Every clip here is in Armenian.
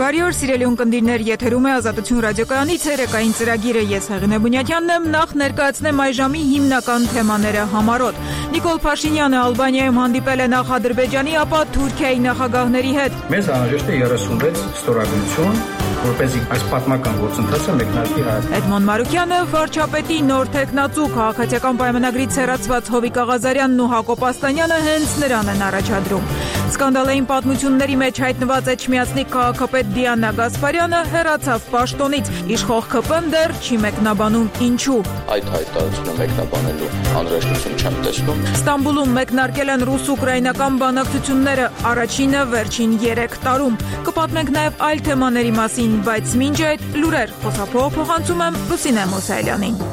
Բարի օր, սիրելի ունկնդիրներ, եթերում է Ազատություն ռադիոկայանի ցերեկային ծրագիրը։ Ես Հեղինե Բունյաթյանն եմ, նախ ներկայացնեմ այժմի հիմնական թեմաները համառոտ։ Նիկոլ Փաշինյանը Ալբանիայում հանդիպել է նախ Ադրբեջանի, ապա Թուրքիայի նախագահների հետ։ Մեզ անհրաժեշտ է 36 ստորագրություն, որպեսզի այս պատմական գործընթացը մեկնարկի հայտ։ Էդմոն Մարուկյանը, վարչապետի նոր թեկնածու, քաղաքացիական պայմանագրից հեռացված Հովիկ Աղազարյանն ու Հակոբ Աստանյանը հենց նրան են առաջադրում։ Սկանդալային պատմությունների մեջ հայտնված Էջմիածնիկ քաղաքապետ Դիանա Գասպարյանը հեռացավ պաշտոնից, իշխող ԿՊ-ն դեռ չի մեկնաբանում ինչու։ Այդ հայտարարությունը մեկնաբանելու անհրաժեշտություն չեմ տեսնում։ Ստամբուլում մեկնարկել են ռուս-ուկրաինական բանակցությունները, առաջինը վերջին 3 տարում։ Կպատմենք նաև այլ թեմաների մասին, բայց մինչ այդ լուրեր փոխանցում եմ Լուսինե Մոսայելյանին։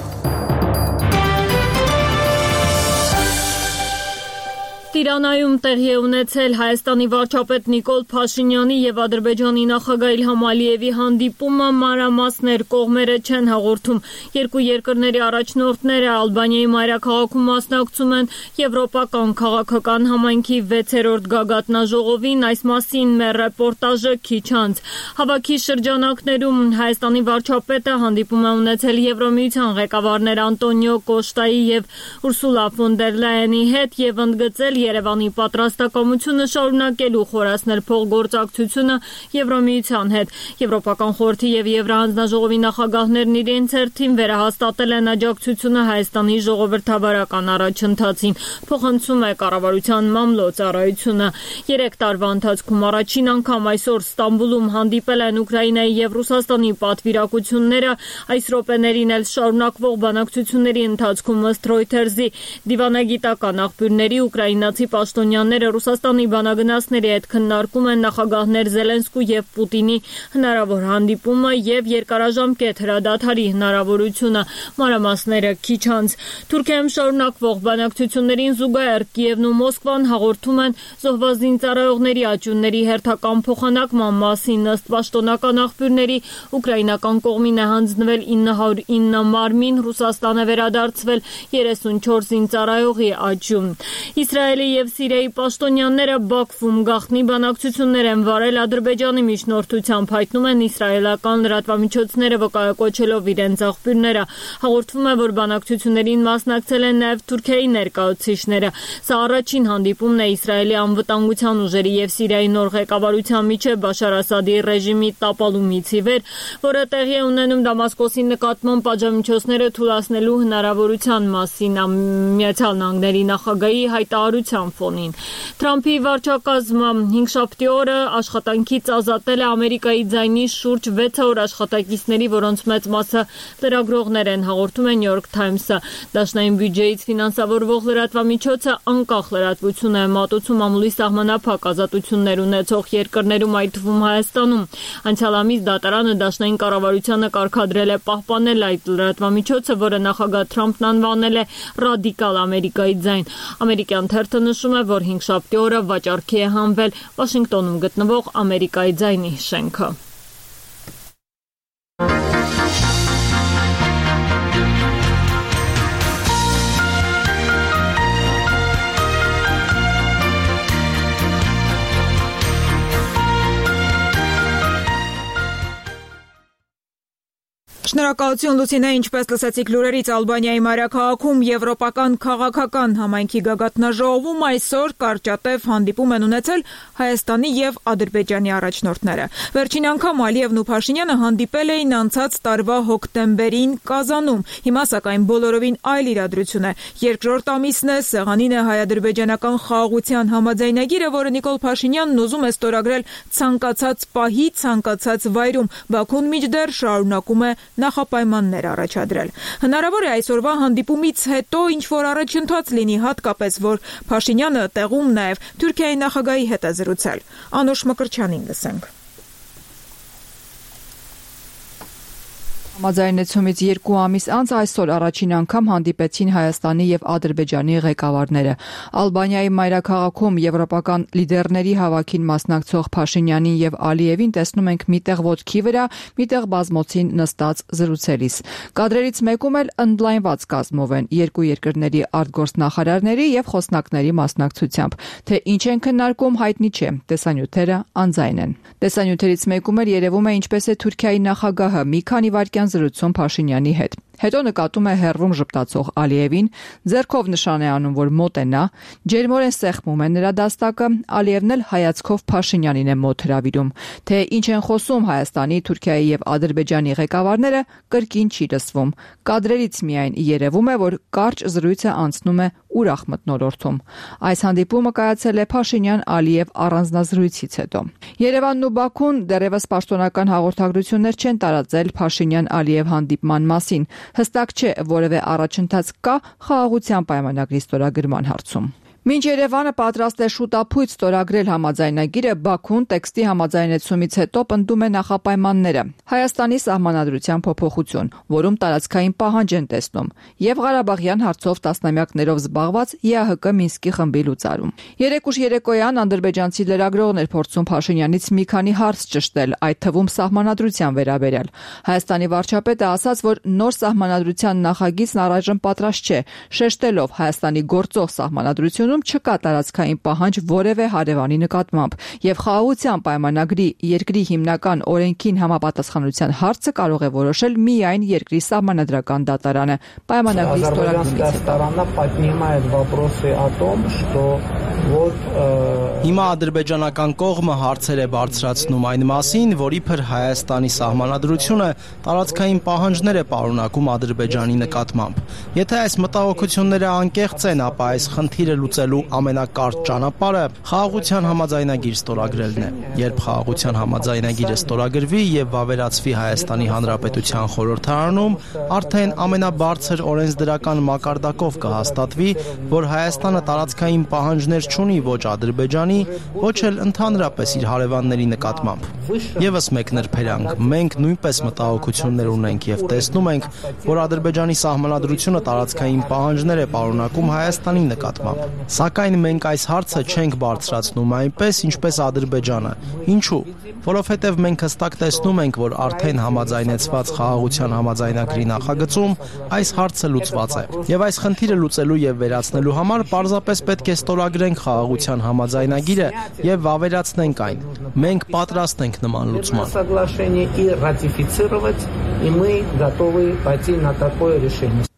Տիրանայում տեղի է ունեցել Հայաստանի վարչապետ Նիկոլ Փաշինյանի եւ Ադրբեջանի նախագահ Իլհամ Ալիևի հանդիպումը, մանրամասներ կողմերը չեն հաղորդում։ Երկու երկրների առաջնորդները Ալբանիայի մայրաքաղաքում մասնակցում են եվրոպական քաղաքական համայնքի 6-րդ գագաթնաժողովին, այս մասին մեր ռեպորտաժը քիչ անց։ Հավաքի շրջանակներում Հայաստանի վարչապետը հանդիպում է ունեցել Եվրոմիության ղեկավարներ Անտոնիո Կոշտայի եւ Ուրսուլա ֆոն դեր Լայենի հետ եւ ընդգծել Երևանի պատրաստակամությունը շարունակելու խորացնել փոխգործակցությունը Եվրոմիության հետ։ Եվրոպական խորհրդի եւ Եվրահանձնաժողովի նախագահներն իրենց հերթին վերահաստատել են աջակցությունը Հայաստանի ժողովրդավարական առաջընթացին, փոխանցում է կառավարության մամլոյցարայությունը։ 3 տարվա ընթացքում առաջին անգամ այսօր Ստամբուլում հանդիպել են Ուկրաինայի եւ Ռուսաստանի պատվիրակությունները, այս րոպեներին էլ շարունակվող բանակցությունների ընթացքում ըստ Reuters-ի դիվանագիտական աղբյուրների ուկրաինացի պաշտոնյաները Ռուսաստանի բանագնացների հետ քննարկում են նախագահներ Զելենսկու եւ Պուտինի հնարավոր հանդիպումը եւ երկարաժամկետ հրադադարի հնարավորությունը, մանրամասները քիչ անց։ Թուրքիայում շարունակվող բանակցություններին զուգահեռ Կիևն ու Մոսկվան հաղորդում են զոհված զինծառայողների աճյունների հերթական փոխանակման մասին, ըստ պաշտոնական աղբյուրների ուկրաինական կողմին է հանձնվել 909 մարմին, Ռուսաստանը վերադարձվել 34 զինծառայողի աճյուն։ Իսրայելի եւ Սիրիայի պաշտոնյաները Բաքվում գաղտնի բանակցություններ են վարել Ադրբեջանի միջնորդությամբ, հայտնում են իսրայելական լրատվամիջոցները վկայակոչելով իրենց աղբյուրները։ Հաղորդվում է, որ բանակցություններին մասնակցել են նաեւ Թուրքիայի ներկայացուցիչները։ Սա առաջին հանդիպումն է Իսրայելի անվտանգության ուժերի եւ Սիրիայի նոր ղեկավարության միջև Բաշար Ասադի ռեժիմի տապալումից ի վեր, որը տեղի է ունենում Դամասկոսի նկատմամբ պատժամիջոցները թույլատնելու հնարավորության մասին Միացյալ Նահանգների նախագահի հայտարարության ֆոնին։ Թրամփի վարչակազմը 5-շաբթի օրը աշխատանքից ազատել է Ամերիկայի ձայնի շուրջ 600 աշխատակիցների, որոնց մեծ մասը լրագրողներ են, հաղորդում է New York Times-ը։ Դաշնային բյուջեից ֆինանսավորվող լրատվամիջոցը անկախ լրատվություն է մատուցում ամուլի սահմանափակ ազատություններ ունեցող երկրներում, այդ թվում Հայաստանում։ Անցյալ ամիս դատարանը դաշնային կառավարությանը կարգադրել է պահպանել այդ լրատվամիջոցը, որը նախագահ Թրամփն անվանել է ռադիկալ Ամերիկայի ձայն։ Ամերիկյան թերթը նշում է, որ 5-շաբթի օրը վաճառքի է հանվել Վաշինգտոնում գտնվող Ամերիկայի ձայնի շենքը։ Շնորհակալություն Լուսինե, ինչպես լսեցիք լուրերից, Ալբանիայի մայրաքաղաքում եվրոպական քաղաքական համայնքի գագաթնաժողովում այսօր կարճատև հանդիպում են ունեցել Հայաստանի եւ Ադրբեջանի առաջնորդները։ Վերջին անգամ Ալիևն ու Փաշինյանը հանդիպել էին անցած տարվա հոկտեմբերին Կազանում։ Հիմա սակայն բոլորովին այլ իրադրություն է։ Երկրորդ ամիսն է, սեղանին է հայ-ադրբեջանական խաղաղության համաձայնագիրը, որը Նիկոլ Փաշինյանն ուզում է ստորագրել ցանկացած պահի, ցանկացած վայրում։ Բաքուն մինչդեռ շարունակում է նախապայմաններ առաջադրել։ Հնարավոր է այսօրվա հանդիպումից հետո ինչ-որ առաջընթաց լինի, հատկապես որ Փաշինյանը տեղում նաև Թուրքիայի նախագահի հետ է զրուցել։ Անուշ Մկրտչյանին լսենք։ Համաձայնեցումից 2 ամիս անց այսօր առաջին անգամ հանդիպեցին Հայաստանի եւ Ադրբեջանի ղեկավարները։ Ալբանիայի մայրաքաղաքում եվրոպական լիդերների հավաքին մասնակցող Փաշինյանին եւ Ալիևին տեսնում ենք միտեղ ոտքի վրա, միտեղ բազմոցին նստած զրուցելիս։ Կադրերից մեկում էլ ընդլայնված կազմով են երկու երկրների արտգործնախարարների եւ խոսնակների մասնակցությամբ։ Թե ինչ են քննարկում, հայտնի չէ, տեսանյութերը անձայն են։ Տեսանյութերից մեկում էլ երևում է ինչպես է Թուրքիայի նախագահը մի քանի վայրկյան զրուցում Փաշինյանի հետ։ Հետո նկատում է հեռվում ժպտացող Ալիևին, ձեռքով նշան է անում, որ մոտ է նա, ջերմորեն սեղմում է նրա դաստակը, Ալիևն էլ հայացքով Փաշինյանին է մոտ հրավիրում։ Թե ինչ են խոսում Հայաստանի, Թուրքիայի եւ Ադրբեջանի ղեկավարները, կրկին չի լսվում։ Կադրերից միայն երևում է, որ կարճ զրույցը անցնում է ուրախ մթնոլորտում։ Այս հանդիպումը կայացել է Փաշինյան-Ալիև առանձնազրույցից հետո։ Երևանն ու Բաքուն դեռևս պաշտոնական հաղորդագրություններ չեն տարածել Փաշինյան-Ալիև հանդիպման մասին։ Հստակ չէ, որևէ առաջընթաց կա խաղաղության պայմանագրի ստորագրման հարցում։ Մինչ Երևանը պատրաստ է շուտապույտ ստորագրել համաձայնագիրը, Բաքուն տեքստի համաձայնեցումից հետո պնդում է նախապայմանները։ Հայաստանի սահմանադրության փոփոխություն, որում տարածքային պահանջ են տեսնում, եւ Ղարաբաղյան հարցով տասնամյակներով զբաղված ԵԱՀԿ Մինսկի խմբի լուծարում։ Երեկուշ երեկոյան ադրբեջանցի լրագրողն էր փորձում Փաշինյանից մի քանի հարց ճշտել, այդ թվում սահմանադրության վերաբերյալ։ Հայաստանի վարչապետը ասաց, որ նոր սահմանադրության նախագիծն առայժմ պատրաստ չէ, շեշտելով Հայաստանի գործող սահմանադրությունում չկա տարածքային պահանջ որևէ հարևանի նկատմամբ, եւ խաղաղության պայմանագրի երկրի հիմնական օրենքին համապատասխանության հարցը կարող է որոշել միայն երկրի սահմանադրական դատարանը։ Պայմանագրի Հիմա ադրբեջանական կողմը հարցեր է բարձրացնում այն մասին, որ իբր Հայաստանի սահմանադրությունը տարածքային պահանջներ է պարունակում Ադրբեջանի նկատմամբ։ Եթե այս մտահոգությունները անկեղծ են, ապա այս խնդիրը լուծելու ամենակարճ ճանապարհը խաղաղության համաձայնագիր ստորագրելն է։ Երբ խաղաղության համաձայնագիրը ստորագրվի եւ վավերացվի Հայաստանի Հանրապետության խորհրդարանում, արդեն ամենաբարձր օրենսդրական մակարդակով կհաստատվի, որ Հայաստանը տարածքային պահանջներ չունի ոչ Ադրբեջանի, ոչ էլ ընդհանրապես իր հարևանների նկատմամբ։ Եվս մեկ նրբերանգ, մենք նույնպես մտահոգություններ ունենք եւ տեսնում ենք, որ Ադրբեջանի սահմանադրությունը տարածքային պահանջներ է պարունակում Հայաստանի նկատմամբ։ Սակայն մենք այս հարցը չենք բարձրացնում այնպես, ինչպես Ադրբեջանը։ Ինչու՞։ Որովհետև մենք հստակ տեսնում ենք, որ արդեն համաձայնեցված խաղաղության համաձայնագրի նախագծում այս հարցը լուծված է։ Եվ այս խնդիրը լուծելու եւ վերացնելու համար պարզապես պետք է ստորագրենք խաղաղության համաձայնագիրը եւ վավերացնենք այն։ Մենք պատրաստ ենք նման լուծման։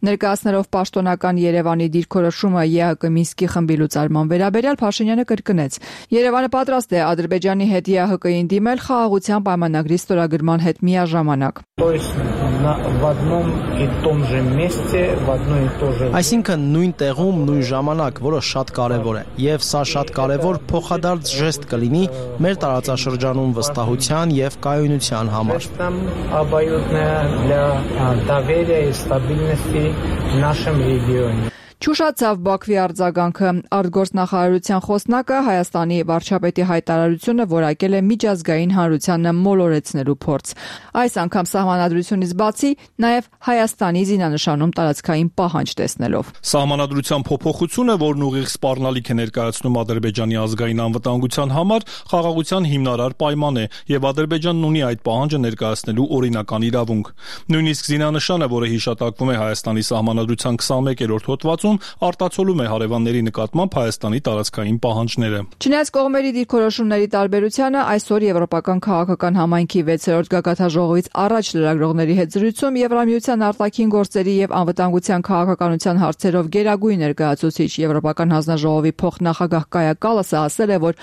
Ներկայացնելով պաշտոնական Երևանի դիրքորոշումը ԵԱՀԿ Մինսկի խմբի լուծարման վերաբերյալ Փաշինյանը կրկնեց. Երևանը պատրաստ է Ադրբեջանի հետ ԵԱՀԿ-ին դիմել խաղաղության պայմանագրի ստորագրման հետ միաժամանակ։ Այսինքն նույն տեղում, նույն ժամանակ, որը շատ կարևոր է, եւ սա շատ կարևոր փոխադարձ ժեստ կլինի մեր տարածաշրջանում վստահության եւ կայունության համար։ Չուշացավ Բաքվի արձագանքը։ Արտգործնախարարության խոսնակը Հայաստանի վարչապետի հայտարարությունը որակել է միջազգային հանրությանը մոլորեցնելու փորձ։ Այս անգամ սահմանադրությունից բացի նաև Հայաստանի զինանշանում տարածքային պահանջ տեսնելով։ Սահմանադրության փոփոխությունը, որն ուղիղ սպառնալիք է ներկայացնում Ադրբեջանի ազգային անվտանգության համար, խաղաղության հիմնարար պայման է, եւ Ադրբեջանն ունի այդ պահանջը ներկայացնելու օրինական իրավունք։ Նույնիսկ զինանշանը, որը հիշատակվում է Հայաստանի սահմանադրության 21-րդ հոդվածում, արտացոլում է հարևանների նկատմամբ Հայաստանի տարածքային պահանջները։ Չնայած կողմերի դիրքորոշումների տարբերությանը, այսօր Եվրոպական քաղաքական համայնքի 6-րդ գագաթնաժողովից առաջ լրագրողների հետ զրույցում Եվրամիության արտաքին գործերի եւ անվտանգության քաղաքականության հարցերով գերագույն ներկայացուցիչ Եվրոպական հանձնաժողովի փոխնախագահ Կայա Կալասը ասել է, որ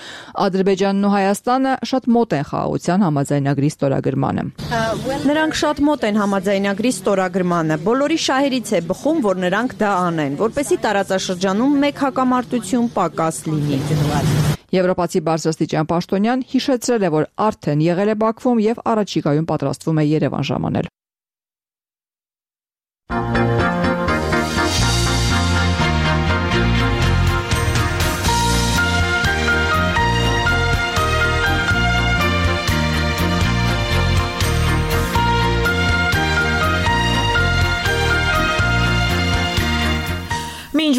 Ադրբեջանն ու Հայաստանը շատ մոտ են խաղաղության համաձայնագրի ստորագրմանը։ Նրանք շատ մոտ են համաձայնագրի ստորագրմանը։ Բոլորի շահերից է բխում, որ նրանք դա անեն, որպեսզի տարածաշրջանում մեկ հակամարտություն պակաս լինի։ Եվրոպացի բարձրաստիճան պաշտոնյան հիշեցրել է, որ արդեն եղել է Բաքվում եւ առաջիկայում պատրաստվում է Երևան ժամանել։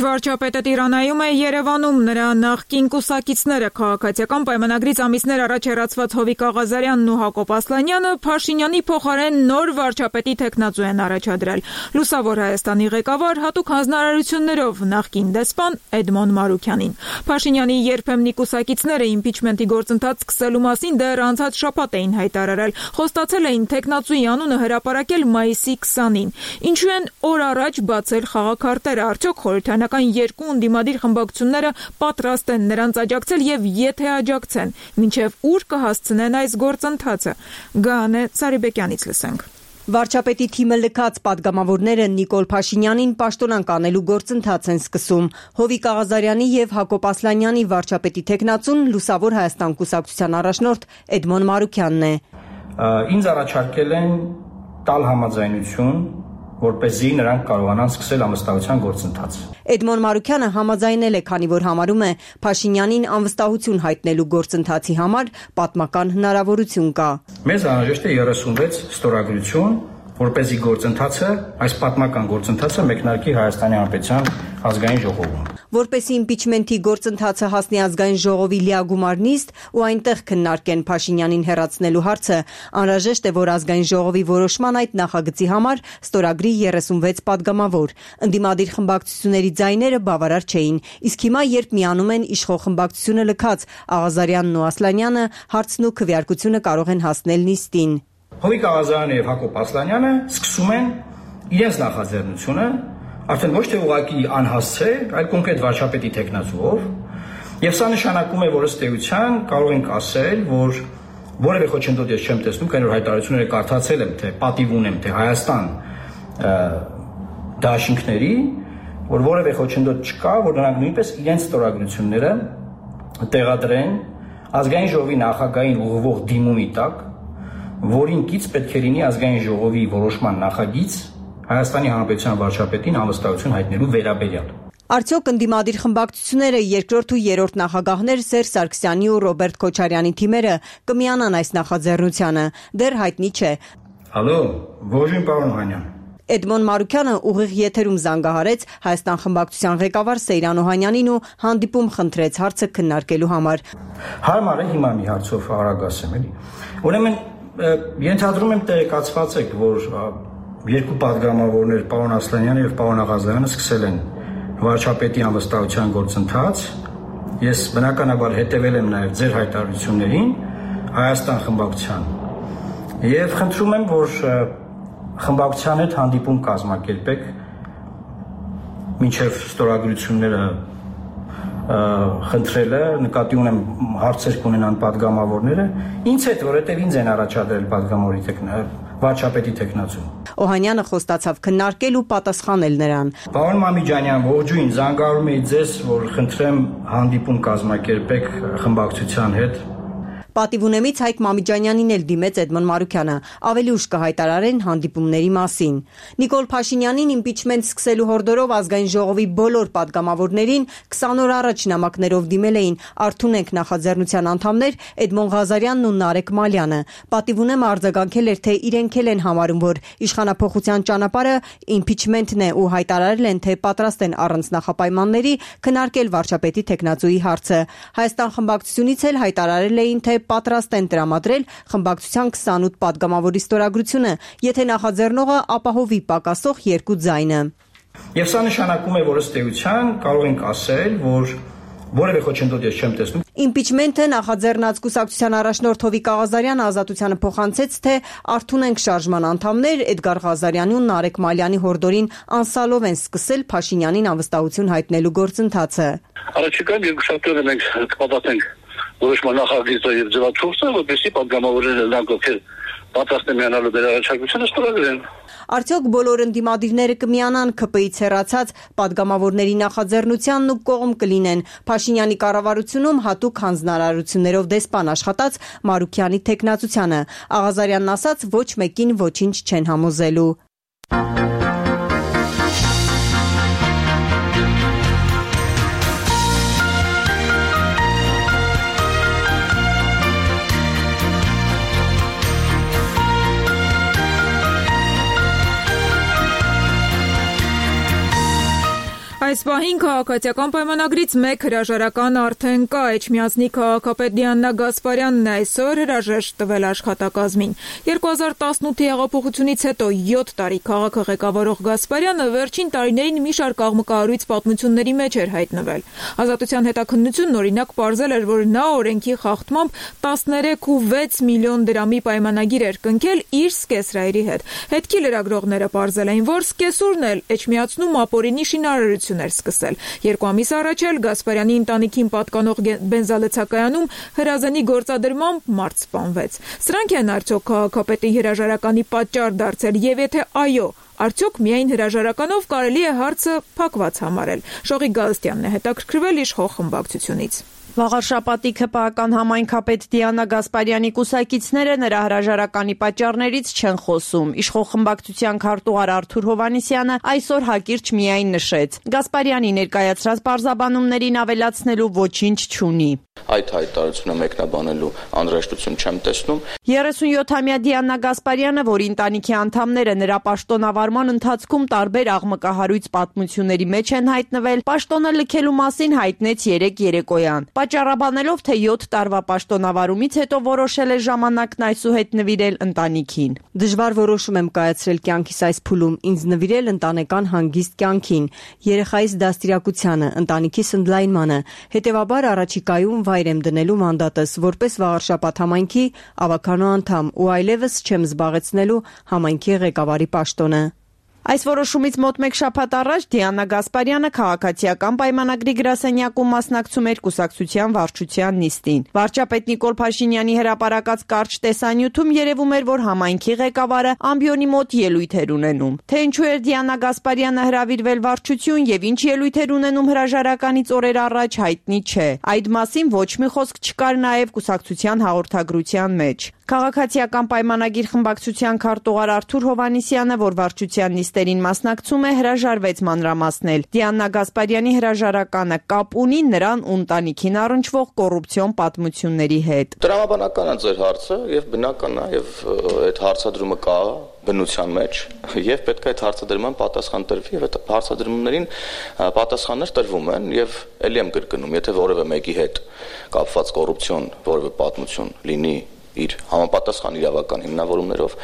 վարչապետը Տիրանայում է, Երևանում նրա նախկին կուսակիցները քաղաքացիական պայմանագրից ամիսներ առաջ հեռացված Հովիկ Աղազարյանն ու Հակոբ Ասլանյանը Փաշինյանի փոխարեն նոր վարչապետի թեկնածու են առաջադրել։ Լուսավոր Հայաստանի ղեկավար հատուկ հանձնարարություններով նախկին դեսպան Էդմոն Մարուքյանին։ Փաշինյանի երբեմնի կուսակիցները իմպիչմենտի գործընթաց սկսելու մասին դեռ անցած շաբաթ էին հայտարարել, խոստացել էին թեկնածուի անունը հրապարակել մայիսի 20-ին։ Ինչու են օր առաջ բացել խաղաքարտերը, արդյոք խորհրդարանական երկու ընդդիմադիր խմբակցությունները պատրաստ են նրանց աջակցել եւ եթե աջակցեն, մինչեւ ուր կհասցնեն այս գործընթացը։ Գանե Սարիբեկյանից լսենք։ Վարչապետի թիմը լքած պատգամավորները Նիկոլ Փաշինյանին պաշտոնանկ անելու գործընթաց են սկսում։ Հովիկ Աղազարյանի եւ Հակոբ Ասլանյանի վարչապետի թեկնածուն Լուսավոր Հայաստան կուսակցության առաջնորդ Էդմոն Մարուքյանն է։ Ինձ առաջարկել են տալ համաձայնություն, որպեսզի նրանք կարողանան սկսել անվստահության գործընթաց։ Էդմոն Մարուքյանը համաձայնել է, քանի որ համարում է Փաշինյանին անվստահություն հայտնելու գործընթացի համար պատմական հնարավորություն կա։ Մեզ անհրաժեշտ է 36 ստորագրություն, որպեսզի գործընթացը, այս պատմական գործընթացը մեկնարկի Հայաստանի Հանրապետության ազգային ժողովում։ Որպեսզի իմպիչմենտի գործընթացը հասնի ազգային ժողովի լիագումար նիստ ու այնտեղ քննարկեն Փաշինյանին հեռացնելու հարցը, անհրաժեշտ է, որ ազգային ժողովի որոշման այդ նախագծի համար ստորագրի 36 պատգամավոր։ Ընդդիմադիր խմբակցությունների ձայները բավարար չէին, իսկ հիմա, երբ միանում են իշխող խմբակցությունը լքած Աղազարյանն ու Ասլանյանը, հարցն ու քվեարկությունը կարող են հասնել նիստին։ Հովիկ Աղազարյանը եւ Հակոբ Ասլանյանը սկսում են իրենց նախաձեռնությունը արդեն ոչ թե ուղղակի անհասցե, այլ կոնկրետ վարչապետի թեկնածուով, եւ սա նշանակում է, որ ըստ էության կարող ենք ասել, որ որևէ խոչընդոտ ես չեմ տեսնում, քանի որ հայտարարությունները կարդացել եմ, թե պատիվ ունեմ, թե Հայաստան դաշինքների, որ որևէ խոչընդոտ չկա, որ նրանք նույնպես իրենց ստորագրությունները տեղադրեն ազգային ժողովի նախագահին ուղղվող դիմումի տակ, որին կից պետք է լինի ազգային ժողովի որոշման նախագիծ Հայաստանի Հանրապետության վարչապետին անվստահություն հայտնելու վերաբերյալ։ Արդյոք ընդդիմադիր խմբակցությունները երկրորդ ու երրորդ նախագահներ Սերժ Սարգսյանի ու Ռոբերտ Քոչարյանի թիմերը կմիանան այս նախաձեռնությանը, դեռ հայտնի չէ։ Հալո, ողջույն պարոն Օհանյան։ Էդմոն Մարուքյանը ուղիղ եթերում զանգահարեց Հայաստան խմբակցության ղեկավար Սեյրան Օհանյանին ու հանդիպում խնդրեց հարցը քննարկելու համար։ Հարմար է հիմա մի հարցով արագ ասեմ, էլի։ Ուրեմն ենթադրում եմ տեղեկացված եք, որ երկու պատգամավորներ պարոն Ասլանյանը եւ պարոն Աղազարյանը սկսել են վարչապետի անվստահության գործընթաց։ Ես բնականաբար հետևել եմ նաեւ ձեր հայտարարություններին Հայաստան խմբակցության եւ խնդրում եմ, որ խմբակցության հետ հանդիպում կազմակերպեք մինչեւ ստորագրությունները խնդրելը, նկատի ունեմ հարցեր կունենան պատգամավորները, ինձ հետ, որովհետև ինձ են առաջադրել պատգամավորի վարչապետի թեկնածու։ Օհանյանը խոստացավ քննարկել ու պատասխանել նրան։ Պարոն Մամիջանյան, ողջույն, զանգահարում էի ձեզ, որ խնդրեմ հանդիպում կազմակերպեք խմբակցության հետ։ Պատիվունեմից Հայկ Մամիջանյանին էլ դիմեց Էդմոն Մարուքյանը, ավելի ուշ կհայտարարեն հանդիպումների մասին։ Նիկոլ Փաշինյանին իմպիչմենտ սկսելու հորդորով ազգային ժողովի բոլոր պատգամավորներին 20 օր առաջ նամակներով դիմել էին Արթունենք նախաձեռնության անդամներ Էդմոն Ղազարյանն ու Նարեկ Մալյանը։ Պատիվունեմը արձագանքել էր, թե իրենք էլ են համարում, որ իշխանափոխության ճանապարհը իմպիչմենտն է ու հայտարարել են, թե պատրաստ են առանց նախապայմանների քննարկել վարչապետի թեկնածուի հարցը։ Հայաստան խմբակցությունից էլ հայտարարել էին, թե պատրաստ են տրամադրել խմբակցության 28 պատգամավորի ստորագրությունը, եթե նախաձեռնողը ապահովի պակասող երկու ձայնը։ Եվ սա նշանակում է, որ ըստ էության կարող ենք ասել, որ որևէ խոչընդոտ ես չեմ տեսնում։ Իմպիչմենտը նախաձեռնած կուսակցության առաջնորդ Հովիկ Աղազարյանը ազատությանը փոխանցեց, թե Արթունենք շարժման անդամներ Էդգար Ղազարյանի ու Նարեկ Մալյանի հորդորին անսալով են սկսել Փաշինյանին անվստահություն հայտնելու գործընթացը։ Առաջիկայում երկուշաբթի մենք կպատասխանենք որոշման նախագիծը եւ ձևաչափը, որպեսզի պատգամավորները նրանք ովքեր պատրաստ են միանալու դեր առաջարկությունը ստորագրեն։ Արդյոք բոլոր ընդդիմադիրները կմիանան ԿՊ-ից հեռացած պատգամավորների նախաձեռնությանն ու կողմ կլինեն Փաշինյանի կառավարությունում հատուկ հանձնարարություններով դեսպան աշխատած Մարուքյանի թեկնածությանը։ Աղազարյանն ասաց, ոչ մեկին ոչինչ չեն համոզելու։ Այս Այս պահին քաղաքացիական պայմանագրից մեկ հրաժարական արդեն կա։ Էջմիածնի քաղաքապետ Դիանա Գասպարյանն այսօր հրաժեշտ տվել աշխատակազմին։ 2018-ի հեղափոխությունից հետո 7 տարի քաղաքը ղեկավարող Գասպարյանը վերջին տարիներին մի շարք աղմկահարույց պատմությունների մեջ էր հայտնվել։ Ազատության հետաքննությունն օրինակ պարզել էր, որ նա օրենքի խախտմամբ 13.6 միլիոն դրամի պայմանագիր էր կնքել իր սկեսրայրի հետ։ Հետքի լրագրողները պարզել էին, որ սկեսուրն էլ Էջմիածնում ապօրինի շինարարություն էր սկսել։ 2 ամիս առաջ էլ Գասպարյանի ընտանիքին պատկանող բենզալեցակայանում հրազենի գործադրմամբ մարդ սպանվեց։ Սրանք են արդյոք քաղաքապետի հրաժարականի պատճառ դարձել, եւ եթե այո, արդյոք միայն հրաժարականով կարելի է հարցը փակված համարել։ Շողիկ Գալստյանն է հետաքրքրվել իշխող խմբակցությունից։ Վաղարշապատի ՔՊԱ-ական համայնքապետ Դիանա Գասպարյանի կուսակիցները նրա հրաժարականի պատճառներից չեն խոսում։ Իշխող խմբակցության քարտուղար Արթուր Հովհաննիսյանը այսօր հակիրճ միայն նշեց. Գասպարյանի ներկայացրած պարզաբանումներին ավելացնելու ոչինչ չունի։ Այդ հայտարարությունը մեկնաբանելու անհրաժեշտություն չեմ տեսնում։ 37-ամյա Դիանա Գասպարյանը, որի ընտանիքի անդամները նրա պաշտոնավարման ընթացքում տարբեր աղմկահարույց պատմությունների մեջ են հայտնվել, պաշտոնը լքելու մասին հայտնեց 3 երեկոյան։ Պատճառաբանելով, թե 7 տարվա պաշտոնավարումից հետո որոշել է ժամանակն այսուհետ նվիրել ընտանիքին։ Դժվար որոշում եմ կայացրել կյանքիս այս փուլում, ինձ նվիրել ընտանեկան հանգիստ կյանքին, երեխայիս դաստիարակությանը, ընտանիքիս ընդլայնմանը, հետևաբար առաջիկայում վայր եմ դնելու մանդատս որպես Վաղարշապատ համայնքի ավականո անդամ ու այլևս չեմ զբաղեցնելու համայնքի ղեկավարի պաշտոնը։ Այս որոշումից մոտ 1 շաբաթ առաջ Դիանա Գասպարյանը քաղաքացիական պայմանագրի գրասենյակում մասնակցում էր կուսակցության վարչության նիստին։ Վարչապետ Նիկոլ Փաշինյանի հրապարակած կարճ տեսանյութում երևում էր, որ համայնքի ղեկավարը ամբիոնի մոտ ելույթ էր ունենում։ Թե ինչու էր Դիանա Գասպարյանը հրավիրվել վարչություն եւ ինչ ելույթ էր ունենում հրաժարականից օրեր առաջ հայտնի չէ։ Այդ մասին ոչ մի խոսք չկար նաեւ կուսակցության հաղորդագրության մեջ։ Քաղաքացիական պայմանագիր խմբակցության քարտուղար Արթուր Հովհաննիսյանը, որ վարչության նիստերին մասնակցում է, հրաժարվեց մանրամասնել։ Դիանա Գասպարյանի հրաժարականը կապ ունի նրան ու ընտանիքին առնչվող կոռուպցիոն պատմությունների հետ։ Տրամաբանական է ձեր հարցը եւ բնական է եւ այդ հարցադրումը կա բնության մեջ եւ պետք է այդ հարցադրման պատասխան տրվի եւ այդ հարցադրումներին պատասխաններ տրվում են եւ ելի եմ կրկնում, եթե որևէ մեկի հետ կապված կոռուպցիոն որևէ պատմություն լինի իր համապատասխան իրավական հիմնավորումներով,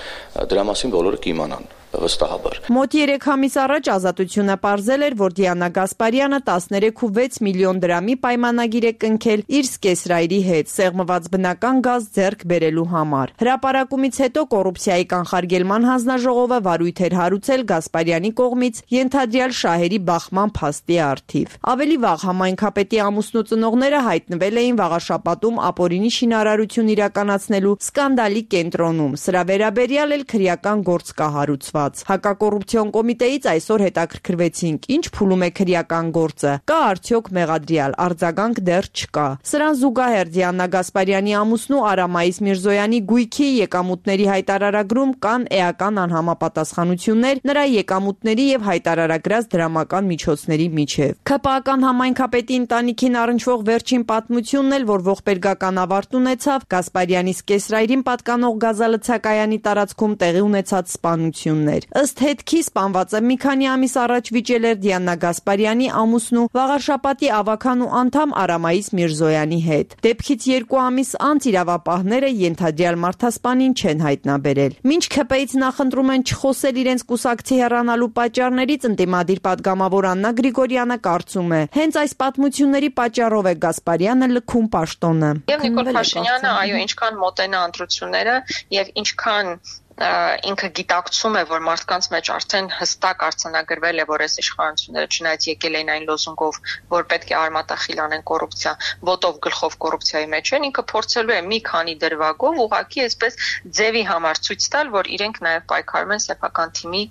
դրա մասին բոլորը կիմանան վստահաբար։ Մոտ 3 ամիս առաջ Ազատությունը պարզել էր, որ Դիանա Գասպարյանը 13.6 միլիոն դրամի պայմանագիր է կնքել իր սկեսրայրի հետ սեղմված բնական գազ ձեռք բերելու համար։ Հրապարակումից հետո կոռուպցիայի կանխարգելման հանձնաժողովը վարույթ էր հարուցել Գասպարյանի կողմից ենթադրյալ շահերի բախման փաստի առթիվ։ Ավելի վաղ համայնքապետի ամուսնու ծնողները հայտնվել էին Վաղարշապատում ապօրինի շինարարություն իրականացնելու սկանդալի կենտրոնում։ Սրա վերաբերյալ էլ քրեական գործ կա հարուցված։ Հակակոռուպցիոն կոմիտեից այսօր հետաքրքրվեցինք, ինչ փուլում է քրեական գործը, կա արդյոք մեղադրյալ, արձագանք դեռ չկա։ Սրան զուգահեռ Դիանա Գասպարյանի ամուսնու Արամայիս Միրզոյանի գույքի եկամուտների հայտարարագրում կան էական անհամապատասխանություններ նրա եկամուտների եւ հայտարարագրած դրամական միջոցների միջև։ ՔՊԱ-ական համայնքապետի ընտանիքին առնչվող վերջին պատմությունն էլ, որ ողբերգական ավարտ ունեցավ, Գասպարյանի սկեսրայրին պատկանող գազալցակայանի տարածքում տեղի ունեցած սպանությունն Ըստ հետքի սպանվածը մի քանի ամիս առաջ վիճել էր Դիանա Գասպարյանի ամուսնու Վաղարշապատի ավականու անդամ Արամայիս Միրզոյանի հետ։ Դեպքից 2 ամիս անց իրավապահները ենթադրյալ մարդասպանին չեն հայտնաբերել։ Մինչ ՔՊ-ից նախընտրում են չխոսել իրենց կուսակցի հեռանալու պատճառներից, ընդդիմադիր պատգամավոր Աննա Գրիգորյանը կարծում է, հենց այս պատմությունների պատճառով է Գասպարյանը լքում պաշտոնը։ Եվ Նիկոլ Փաշինյանը, այո, ինչքան մոտենա ընտրությունները եւ ինչքան ինքը գիտակցում է, որ մարդկանց մեջ արդեն հստակ արձանագրվել է, որ այս իշխանությունները չնայած եկել են այն լոզունգով, որ պետք է արմատախիլ անեն կոռուպցիա, ոտով գլխով կոռուպցիայի մեջ են, ինքը փորձելու է մի քանի դրվագով ուղղակի այսպես ձևի համար ցույց տալ, որ իրենք նաև պայքարում են սեփական թիմի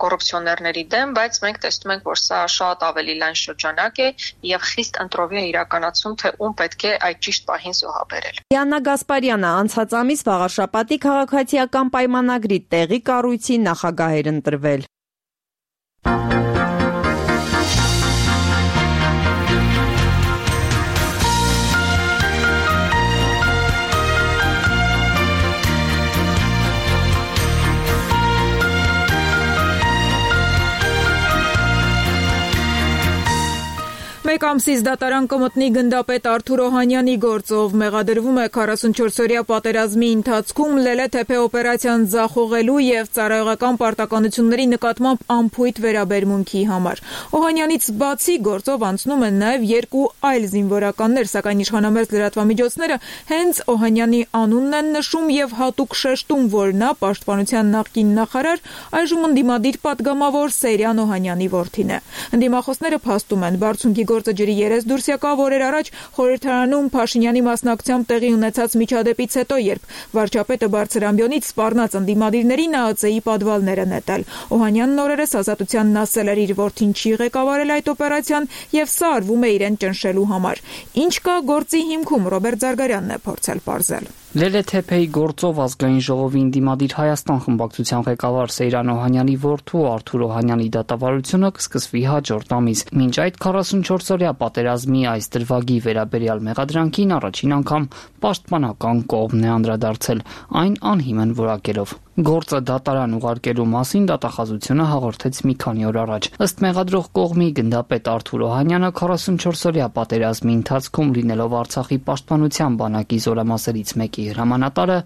կոռուպցիոներների դեմ, բայց մենք տեսնում ենք, որ սա շատ ավելի լայն շրջանակ է եւ խիստ ընտրովի է իրականացում, թե ում պետք է այդ ճիշտ պահին զոհաբերել։ Դիանա Գասպարյանը անցած ամիս Վաղարշապատի քաղաքացիական պայմանագրի տեղի կառույցի նախագահ էր ընտրվել։ Մեկ ամսից դատարան կմտնի գնդապետ Արթուր Օհանյանի գործով մեղադրվում է 44-օրյա պատերազմի ընթացքում Լելե-Թեփե օպերացիան ձախողելու եւ ծառայողական պարտականությունների նկատմամբ անփույթ վերաբերմունքի համար։ Օհանյանից բացի գործով անցնում են նաեւ 2 այլ զինվորականներ, սակայն իշխանամերձ լրատվամիջոցները հենց Օհանյանի անունն են նշում եւ հատուկ շեշտում, որ նա պաշտպանության նախկին նախարար, այժմ ընդդիմադիր պատգամավոր Սեյրան Օհանյանի որդին է։ Ընդդիմախոսները փաստում են, բարձունքի գործը ջրի երես դուրս եկավ օրեր առաջ խորհրդարանում Փաշինյանի մասնակցությամբ տեղի ունեցած միջադեպից հետո, երբ վարչապետը բարձրամբյոնից սպառնաց ընդդիմադիրներին ԱԱՑ-ի պատվալները նետել։ Օհանյանն օրերս ազատությանն ասել էր իր որդին չի ղեկավարել այդ օպերացիան եւ սա արվում է իրեն ճնշելու համար։ Ինչ կա գործի հիմքում, Ռոբերտ Զարգարյանն է փորձել պարզել։ Լելե-Թեփեի գործով ազգային ժողովի ընդդիմադիր Հայաստան խմբակցության ղեկավար Սեյրան Օհանյանի որդու Արթուր Օհանյանի դատավարությունը կսկսվի հաջորդ ամիս։ Մինչ այդ 44-օրյա պատերազմի այս դրվագի վերաբերյալ մեղադրանքին առաջին անգամ պաշտպանական կողմն է անդրադարձել, այն անհիմն որակելով։ Գործը դատարան ուղարկելու մասին դատախազությունը հաղորդեց մի քանի օր առաջ։ Ըստ մեղադրող կողմի գնդապետ Արթուր Օհանյանը 44-օրյա պատերազմի ընթացքում լինելով Արցախի պաշտպանության բանակի զորամասերից մեկի հրամանատարը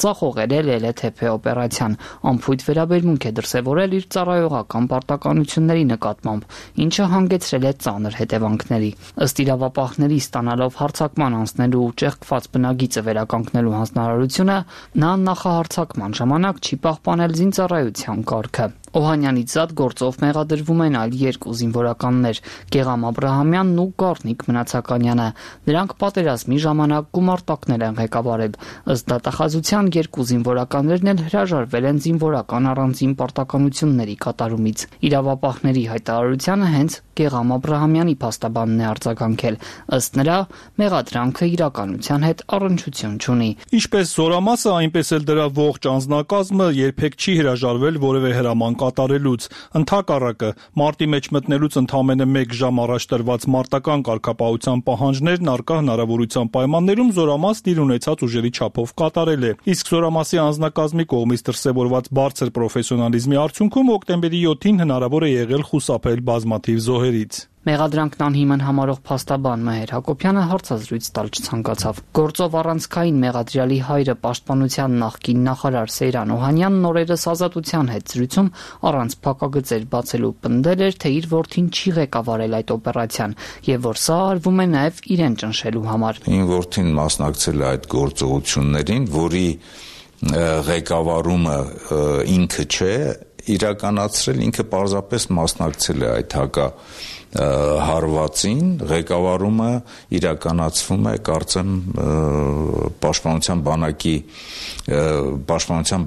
ձախողել է Լելե-Թեփե օպերացիան, անփույթ վերաբերմունք է դրսևորել իր ծառայողական պարտականությունների նկատմամբ, ինչը հանգեցրել է ծանր հետևանքների։ Ըստ իրավապահների ստանալով հարձակման անցնելու ճեղքված բնագիծը վերականգնելու հանձնարարությունը, նա նախահարձակման ժամանակ չի պահպանել զինծառայության կարգը։ Օհանյանից զատ գործով մեղադրվում են այլ 2 զինվորականներ՝ Գեղամ Աբրահամյանն ու Գառնիկ Մնացականյանը։ Նրանք պատերազմի ժամանակ գումարտակներ են ղեկավարել։ Ըստ դատախազության 2 զինվորականներն էլ հրաժարվել են զինվորական առանձին պարտականությունների կատարումից։ Իրավապահների հայտարարությանը հենց Գեղամ Աբրահամյանի փաստաբանն է արձագանքել։ Ըստ նրա, մեղադրանքը իրականության հետ առնչություն չունի։ Ինչպես զորամասը, այնպես էլ դրա ողջ անձնակազմը երբեք չի հրաժարվել որևէ հրաման կատարելուց։ Ընդհակառակը, մարտի մեջ մտնելուց ընդամենը 1 ժամ առաջ տրված մարտական կարգապահության պահանջներն առկա հնարավորության պայմաններում զորամասն իր ունեցած ուժերի չափով կատարել է։ Իսկ զորամասի անձնակազմի կողմից դրսևորված բարձր պրոֆեսիոնալիզմի արդյունքում օկտեմբերի 7-ին հնարավոր է եղել խուսափել բազմաթիվ զոհերից։ Մեղադրանքն անհիմն համարող փաստաբան Մհեր Հակոբյանը հարցազրույց տալ չցանկացավ։ Գործով առանցքային մեղադրյալի հայրը պաշտպանության նախկին նախարար Սեյրան Օհանյանն օրերս ազատության հետ զրույցում առանց փակագծեր բացելու պնդել էր, թե իր որդին չի ղեկավարել այդ օպերացիան եւ որ սա արվում է նաեւ իրեն ճնշելու համար։ Ին որդին մասնակցել է այդ գործողություններին, որի ղեկավարումը ինքը չէ իրականացրել, ինքը պարզապես մասնակցել է այդ հարվածին, ղեկավարումը իրականացվում է, կարծեմ, պաշտպանության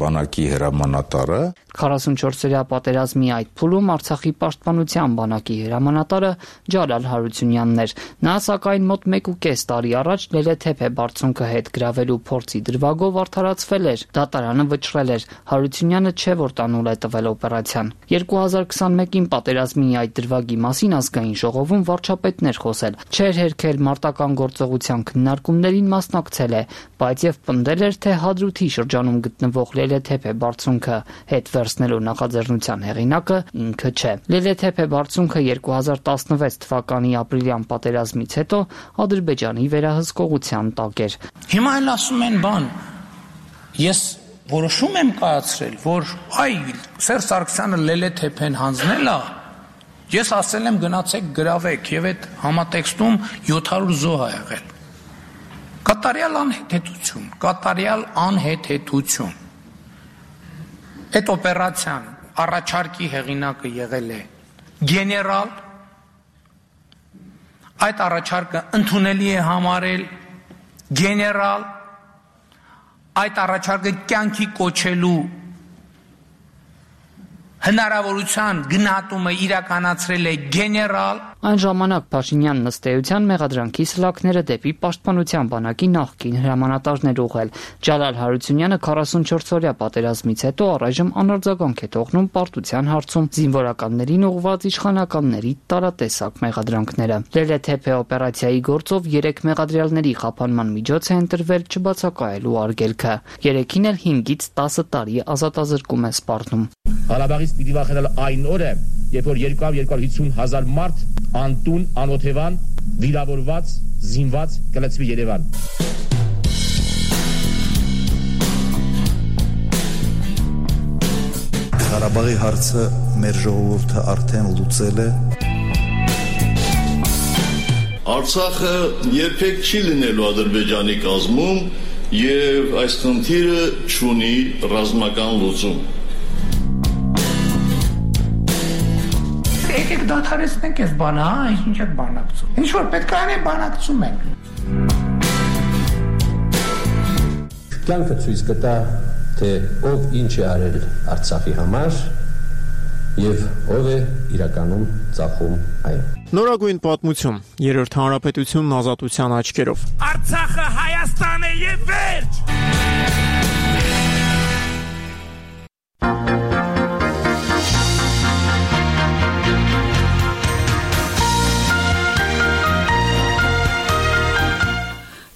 բանակի հրամանատարը։ 44-օրյա պատերազմի այդ փուլում Արցախի պաշտպանության բանակի հրամանատարը Ջալալ Հարությունյանն էր։ Նա սակայն մոտ 1.5 տարի առաջ Լելե-Թեփե բարձունքը հետ գրավելու փորձի դրվագով արդարացվել էր։ Դատարանը վճռել էր։ Հարությունյանը չէ որ տանուլ է տվել օպերացիան։ 2021-ին պատերազմի այդ դրվագի մասին ազգային ժողովում վարչապետն էր խոսել։ Չէր հերքել մարտական գործողության քննարկումներին մասնակցել է, բայց եւ պնդել էր, թե Հադրութի շրջանում գտնվող Լելե-Թեփե բարձունքը հետ վերցնելու նախաձեռնության հեղինակը ինքը չէ։ Լելե-Թեփե բարձունքը 2016 թվականի ապրիլյան պատերազմից հետո Ադրբեջանի վերահսկողության տակ էր։ Հիմա էլ ասում են բան։ Ես որոշում եմ կայացրել, որ Սերժ Սարգսյանը Լելե-Թեփեն հանձնել է։ Ես ասել եմ գնացեք գրավեք եւ այդ համատեքստում 700 զոհ ա եղել։ Կատարյալ անհեթեթություն։ Այդ օպերացիան առաջարկի հեղինակը եղել է գեներալ, այդ առաջարկը ընդունելի է համարել գեներալ, այդ առաջարկը կյանքի կոչելու հնարավորության գնահատումը իրականացրել է գեներալ։ Այն ժամանակ Փաշինյանն ըստ էության մեղադրանքի սլաքները դեպի պաշտպանության բանակի նախկին հրամանատարներ ուղղել։ Ջալալ Հարությունյանը 44-օրյա պատերազմից հետո առայժմ անարձագանք է թողնում պարտության հարցում զինվորականներին ուղղված իշխանականների տարատեսակ մեղադրանքները։ Լելե-Թեփե օպերացիայի գործով 3 մեղադրյալների խափանման միջոց է ընտրվել չբացակայելու արգելքը։ 3-ին էլ 5-ից 10 տարի ազատազրկում է սպառնում։ Ղարաբաղից պիտի վախենալ այն օրը, երբ որ 250,000 մարդ անտուն, անօթևան վիրավորված, զինված կլցվի Երևան։ Ղարաբաղի հարցը մեր ժողովուրդը արդեն լուծել է։ Արցախը երբեք չի լինելու Ադրբեջանի կազմում եւ այս խնդիրը չունի ռազմական լուծում։ Եկեք դադարեցնենք այս բանը, ինչ եք բանակցում։ Ինչ որ պետք է անենք, բանակցում ենք։ Կյանքը ցույց կտա, թե ով ինչ է արել Արցախի համար եւ ով է իրականում ծախում այն։ Նորագույն պատմություն, Երրորդ հանրապետությունն ազատության աչքերով։ Արցախը Հայաստան է եւ վերջ։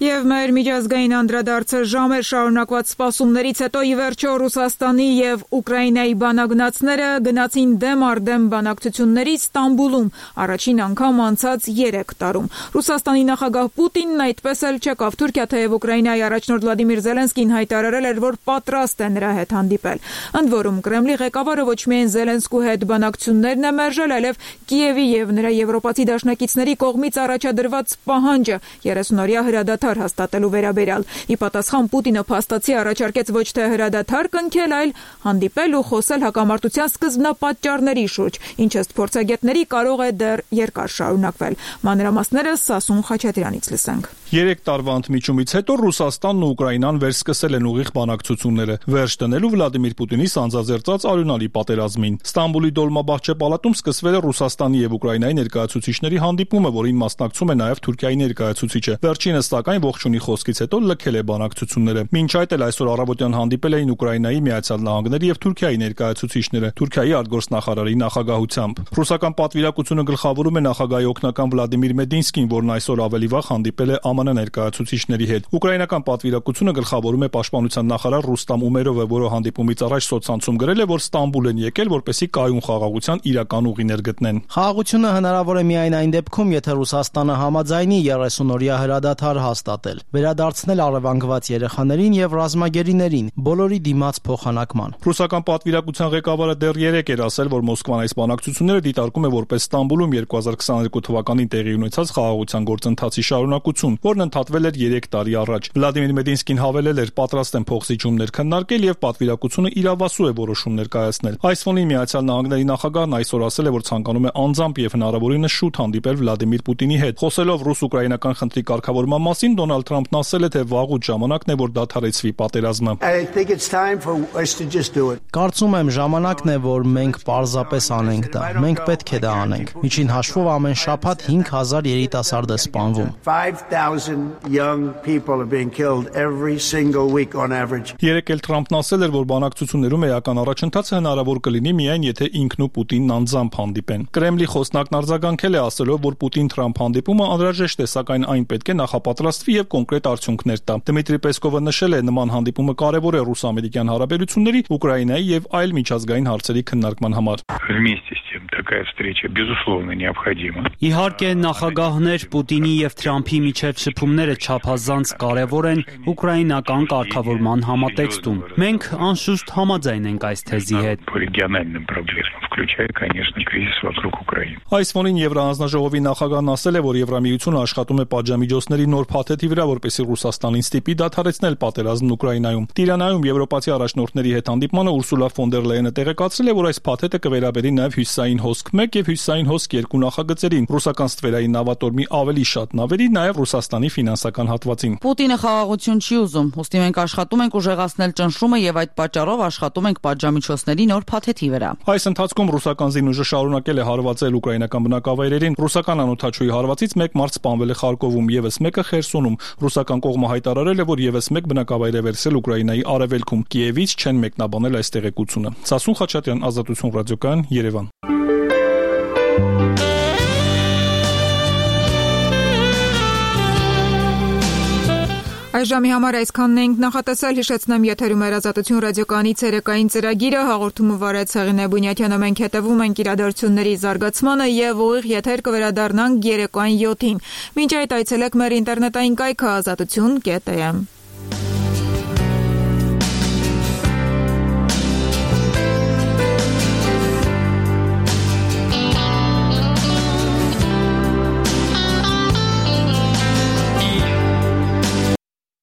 Եվ մեր միջազգային անդրադարձը ժամեր շարունակված սպասումներից հետո ի վերջո Ռուսաստանի եւ Ուկրաինայի բանագնացները գնացին դեմ առ դեմ բանակցությունների Ստամբուլում առաջին անգամ անցած 3 տարում։ Ռուսաստանի նախագահ Պուտինն այդպես էլ չեկավ Թուրքիա, թեև Ուկրաինայի առաջնորդ Վլադիմիր Զելենսկին հայտարարել էր, որ պատրաստ է նրա հետ հանդիպել։ Ընդ որում Կրեմլի ղեկավարը ոչ միայն Զելենսկու հետ բանակցություններն է մերժել, այլև Կիևի եւ նրա եվրոպացի դաշնակիցների կողմից առաջադրված պահանջը 30-օրյա հրադադար հաստատելու վերաբերյալ։ Ի պատասխան Պուտինը փաստացի առաջարկեց ոչ թե հրադադար կնքել, այլ հանդիպել ու խոսել հակամարտության սկզբնապատճառների շուրջ, ինչը փորձագետների կարող է դեռ երկար շարունակվել։ Մանրամասները Սասուն Խաչատրյանից լսենք։ 3 տարվա ընդմիջումից հետո Ռուսաստանն ու Ուկրաինան վերսկսել են ուղիղ բանակցությունները, վերջ դնելու Վլադիմիր Պուտինի սանձազերծած արյունալի պատերազմին։ Ստամբուլի Դոլմաբահչե պալատում սկսվել է Ռուսաստանի եւ Ուկրաինայի ներկայացուցիչների հանդիպումը, որին մասնակցում է նաեւ Թուրքիայի ներկայացուցիչը։ Վերջինս սակայն ողջունի խոսքից հետո լքել է բանակցությունները։ Մինչ այդ էլ այսօր առավոտյան հանդիպել էին Ուկրաինայի, Միացյալ Նահանգների եւ Թուրքիայի ներկայացուցիչները Թուրքիայի արտգործնախարարի նախագահությամբ։ Ռուսական պատվիրակությունը գլխավորում է նախագահի օգնական Վլադիմիր Մեդինսկին, որն այսօր ավելի վաղ հանդիպել է ԱՄՆ ներկայացուցիչների հետ։ Ուկրաինական պատվիրակությունը գլխավորում է պաշտպանության նախարար Ռուստամ Ումերովը, որը հանդիպումից առաջ սոցցանցում գրել է, որ Ստամբուլ են եկել, որպեսզի կայուն խաղաղության իրական ուղիներ գտնեն։ Խաղաղությունը հնարավոր է միայն այն դեպքում, եթե Ռուսաստանը համաձայնի 30-օրյա հրադադար հաստատել, վերադարձնել առևանգված երեխաներին եւ ռազմագերիներին բոլորի դիմաց փոխանակման։ Ռուսական պատվիրակության ղեկավարը դեռ 3 էր ասել, որ Մոսկվան այս բանակցությունները դիտարկում է որպես Ստամբուլում 2022 թվականին տեղի ունեցած խաղաղության գործընթացի շարունակություն, որն ընդհատվել էր 3 տարի առաջ։ Վլադիմիր Մեդինսկին հավելել էր, պատրաստ են փոխզիջումներ քննարկել եւ պատվիրակությունը իրավասու է որոշումներ կայացնել։ Այս ֆոնին Միացյալ Նահանգների նախագահն այսօր ասել է, որ ցանկանում է անձամբ եւ հնարավորինս շուտ հանդիպել Վլադիմիր Պուտինի հետ։ Խոսելով ռուս-ուկրաինական խնդրի կարգավորման մասին, Դոնալդ Թրամփն ասել է, թե վաղուց ժամանակն է, որ դադարեցվի պատերազմը։ Կարծում եմ ժամանակն է, որ մենք պարզապես անենք դա։ Մենք պետք է դա անենք։ Միջին հաշվով ամեն շաբաթ 5000 երիտասարդ է սպանվում։ 3 էլ Թրամփն ասել էր, որ բանակցություններում էական առաջընթացը հնարավոր կլինի միայն եթե ինքն ու Պուտինն անձամբ հանդիպեն։ Կրեմլի խոսնակն արձագանքել է ասելով, որ Պուտին-Թրամփ հանդիպումը անհրաժեշտ է, սակայն այն պետք է նախապատրաստվի եւ կոնկրետ արդյունքներ տա։ Դմիտրի Պեսկովը նշել է, նման հանդիպումը կարևոր է ռուս-ամերիկյան հարաբերությունների, Ուկրաինայի եւ այլ միջազգային հարցերի քննարկման համար։ Իհարկե, նախագահներ Պուտինի եւ Թրամփի միջև շփումները չափազանց կարևոր են ուկրաինական կարգավորման համատեքստում։ Մենք անշուշտ համաձայն ենք այս թեզի հետ։ Այս ֆոնին Եվրահանձնաժողովի նախագահն ասել է, որ Եվրամիությունը աշխատում է պատժամիջոցների նոր փաթեթի վրա, որպեսզի Ռուսաստանին ստիպի դադարեցնել պատերազմն Ուկրաինայում։ Տիրանայում եվրոպացի առաջնորդների հետ հանդիպմանը Ուրսուլա ֆոն դեր Լեյենը տեղեկացրել է, որ այս փաթեթը կվերաբերի նաև Հյուսիսային հոսք 1 եւ Հյուսիսային հոսք 2 նախագծերին, ռուսական ստվերային նավատորմի ավելի շատ նավերի, նաև Ռուսաստանի ֆինանսական հատվածին։ Պուտինը խաղաղություն չի ուզում, ուստի մենք աշխատում ենք ուժեղացնել ճնշումը եւ այդ պատճառով աշխատում ենք պատժամիջոցների նոր փաթեթի վրա։ Այս ընթացքում ռուսական զինուժը շարունակել է հարվածել ուկրաինական բնակավայրերին։ Ռուսական անօդաչուի հարվածից 1 մարդ սպանվել է Խարկովում, եւս մեկը Խերսոնում։ Ռուսական կողմը հայտարարել է, որ եւս 1 բնակավայր է վերցրել Ուկրաինայի արևելքում։ Կիևից չեն մեկնաբանել այս տեղեկությունը։ Սասուն Խաչատրյան, Ազատություն ռադիոկայան, Երևան։ Այս ժամի համար այսքանն ենք նախատեսել, հիշեցնեմ եթերում էր Ազատություն ռադիոկայանի ցերեկային ծրագիրը, հաղորդումը վարեց Հեղինե Բունյաթյանը, մենք հետևում ենք իրադարձությունների զարգացմանը եւ ուղիղ եթեր կվերադառնանք երեկոյան 7-ին։ Մինչ այդ այցելեք մեր ինտերնետային կայքը azatutun.am